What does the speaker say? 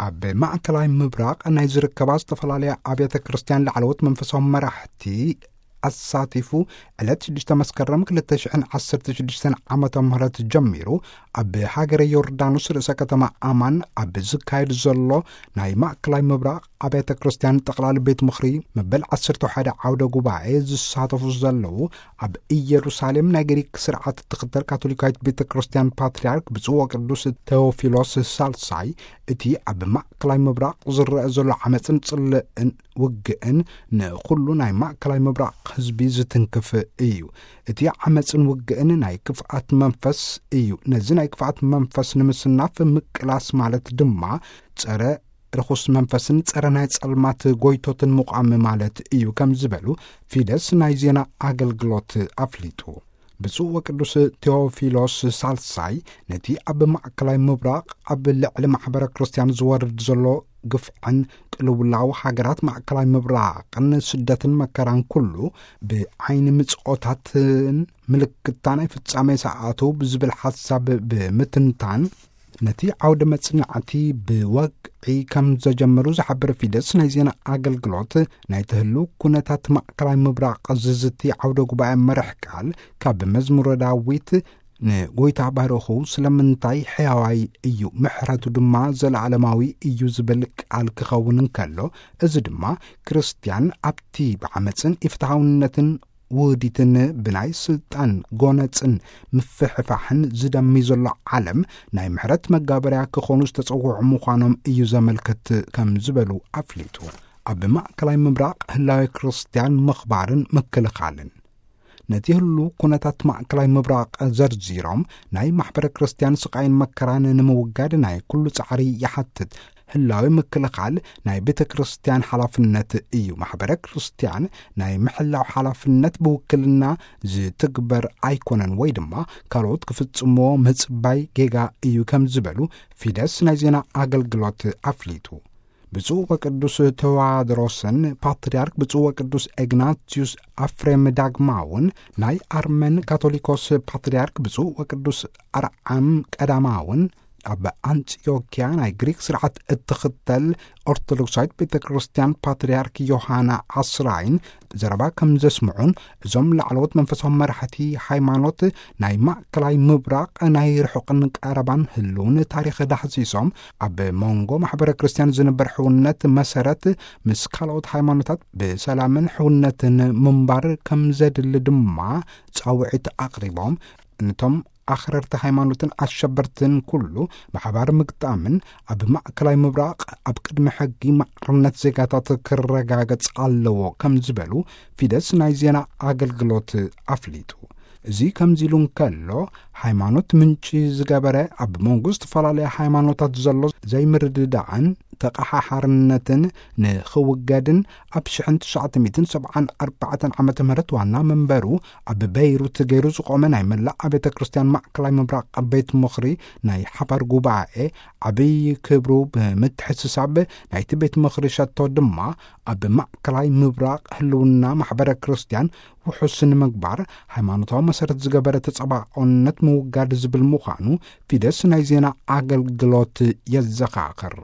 ኣብ ማእከላይ ምብራቕ ናይ ዝርከባ ዝተፈላለያ ኣብያተ ክርስቲያን ላዕለዎት መንፈሳዊ መራሕቲ ኣሳቲፉ፣ ዕለት ሽዱሽተ መስከረም ክልተ ሽሕን ዓሰርተ ሽዱሽተን ዓመተ ምህረት ጀሚሩ፣ ኣብ ሃገረ ዮርዳኖስ ርእሰ ከተማ ኣማን ኣብ ዝካየድ ዘሎ ናይ ማእከላይ ምብራቕ ኣብያተ ክርስቲያን ጠቕላሊ ቤት ምኽሪ መበል ዓሰርተ ሓደ ዓውደ ጉባኤ ዝሳተፉ ዘለዉ፣ ኣብ ኢየሩሳሌም ናይ ግሪክ ስርዓት እትኽተል ካቶሊካዊት ቤተ ክርስቲያን ፓትርያርክ ብፁዕ ወቅዱስ ቴዎፊሎስ ሳልሳይ፣ እቲ ኣብ ማእከላይ ምብራቕ ዝረአ ዘሎ ዓመፅን ጽልእን ውግእን ንኹሉ ናይ ማእከላይ ምብራቕ ህዝቢ ዝትንክፍ እዩ። እቲ ዓመፅን ውግእን ናይ ክፍኣት መንፈስ እዩ። ነዚ ናይ ክፍኣት መንፈስ ንምስናፍ ምቅላስ ማለት ድማ ጸረ ርኹስ መንፈስን ጸረ ናይ ጸልማት ጎይቶትን ምቋም ማለት እዩ፣ ከም ዝበሉ ፊደስ ናይ ዜና ኣገልግሎት ኣፍሊጡ። ብፁዕ ወቅዱስ ቴዎፊሎስ ሳልሳይ ነቲ ኣብ ማእከላይ ምብራቕ ኣብ ልዕሊ ማሕበረ ክርስቲያን ዝወርድ ዘሎ ግፍዕን ቅልውላው ሃገራት ማእከላይ ምብራቕን ስደትን መከራን ኩሉ ብዓይኒ ምጽኦታትን ምልክታ ናይ ፍጻሜ ሰዓቱ ብዝብል ሓሳብ ብምትንታን፣ ነቲ ዓውደ መጽናዕቲ ብወግዒ ከም ዘጀመሩ ዝሓበረ ፊደስ ናይ ዜና ኣገልግሎት፣ ናይ ትህሉ ኩነታት ማእከላይ ምብራቕ ዝዝቲ ዓውደ ጉባኤ መርሕ ቃል ካብ መዝሙረ ዳዊት፣ ንጎይታ ባርኹ፣ ስለምንታይ ሕያዋይ እዩ፣ ምሕረቱ ድማ ዘለዓለማዊ እዩ ዝብል ቃል ክኸውን እንከሎ፣ እዚ ድማ ክርስትያን ኣብቲ ብዓመፅን ኢፍትሃውነትን ውህዲትን ብናይ ስልጣን ጎነፅን ምፍሕፋሕን ዝደሚ ዘሎ ዓለም ናይ ምሕረት መጋበርያ ክኾኑ ዝተጸውዑ ምዃኖም እዩ ዘመልክት፣ ከም ዝበሉ ኣፍሊጡ። ኣብ ማእከላይ ምብራቕ ህላዌ ክርስትያን ምኽባርን ምክልኻልን። ነቲ ህሉ ኩነታት ማእከላይ ምብራቕ ዘርዚሮም፣ ናይ ማሕበረ ክርስትያን ስቓይን መከራን ንምውጋድ ናይ ኩሉ ጻዕሪ ይሓትት። ህላዊ ምክልኻል ናይ ቤተ ክርስቲያን ሓላፍነት እዩ። ማሕበረ ክርስቲያን ናይ ምሕላው ሓላፍነት ብውክልና ዝትግበር ኣይኮነን፣ ወይ ድማ ካልኦት ክፍጽምዎ ምጽባይ ጌጋ እዩ፣ ከም ዝበሉ ፊደስ ናይ ዜና ኣገልግሎት ኣፍሊጡ። ብፁዕ ወቅዱስ ተዋድሮስን ፓትርያርክ ብፁዕ ወቅዱስ ኤግናቲዩስ ኣፍሬም ዳግማውን፣ ናይ ኣርመን ካቶሊኮስ ፓትርያርክ ብፁዕ ወቅዱስ ኣርዓም ቀዳማውን፣ ኣብ ኣንጢዮኪያ ናይ ግሪክ ስርዓት እትኽተል ኦርቶዶክሳዊት ቤተ ክርስቲያን ፓትርያርክ ዮሃና ዓስራይን ዘረባ ከም ዘስምዑን፣ እዞም ላዕለዎት መንፈሳዊ መራሕቲ ሃይማኖት ናይ ማእከላይ ምብራቕ ናይ ርሑቕን ቀረባን ህልውን ታሪኽ ዳህሲሶም፣ ኣብ መንጎ ማሕበረ ክርስቲያን ዝንበር ሕውነት መሰረት ምስ ካልኦት ሃይማኖታት ብሰላምን ሕውነትን ምንባር ከም ዘድሊ ድማ ጻውዒት ኣቕሪቦም፣ ነቶም ኣኽረርቲ ሃይማኖትን ኣሸበርትን ኩሉ ብሓባር ምግጣምን ኣብ ማእከላይ ምብራቕ ኣብ ቅድሚ ሕጊ ማዕርነት ዜጋታት ክረጋገጽ ኣለዎ፣ ከም ዝበሉ ፊደስ ናይ ዜና ኣገልግሎት ኣፍሊጡ። እዚ ከምዚ ኢሉ እንከሎ፣ ሃይማኖት ምንጪ ዝገበረ ኣብ መንጎ ዝተፈላለያ ሃይማኖታት ዘሎ ዘይምርድዳእን ተቐሓሓርነትን ንኽውገድን፣ ኣብ ሽሕን ትሽዓተ ሚእትን ሰብዓን ኣርባዕተን ዓመተ ምህረት ዋና መንበሩ ኣብ በይሩት ገይሩ ዝቖመ ናይ መላእ ኣብያተ ክርስቲያን ማእከላይ ምብራቕ ቤት ምኽሪ ናይ ሓባር ጉባኤ፣ ዓብዪ ክብሩ ብምትሕስሳብ፣ ናይቲ ቤት ምኽሪ ሸቶ ድማ ኣብ ማእከላይ ምብራቕ ህልውና ማሕበረ ክርስቲያን ውሑስ ንምግባር፣ ሃይማኖታዊ መሰረት ዝገበረ ተጸባኦነት ምውጋድ ዝብል ምዃኑ ፊደስ ናይ ዜና ኣገልግሎት የዘኻኽር።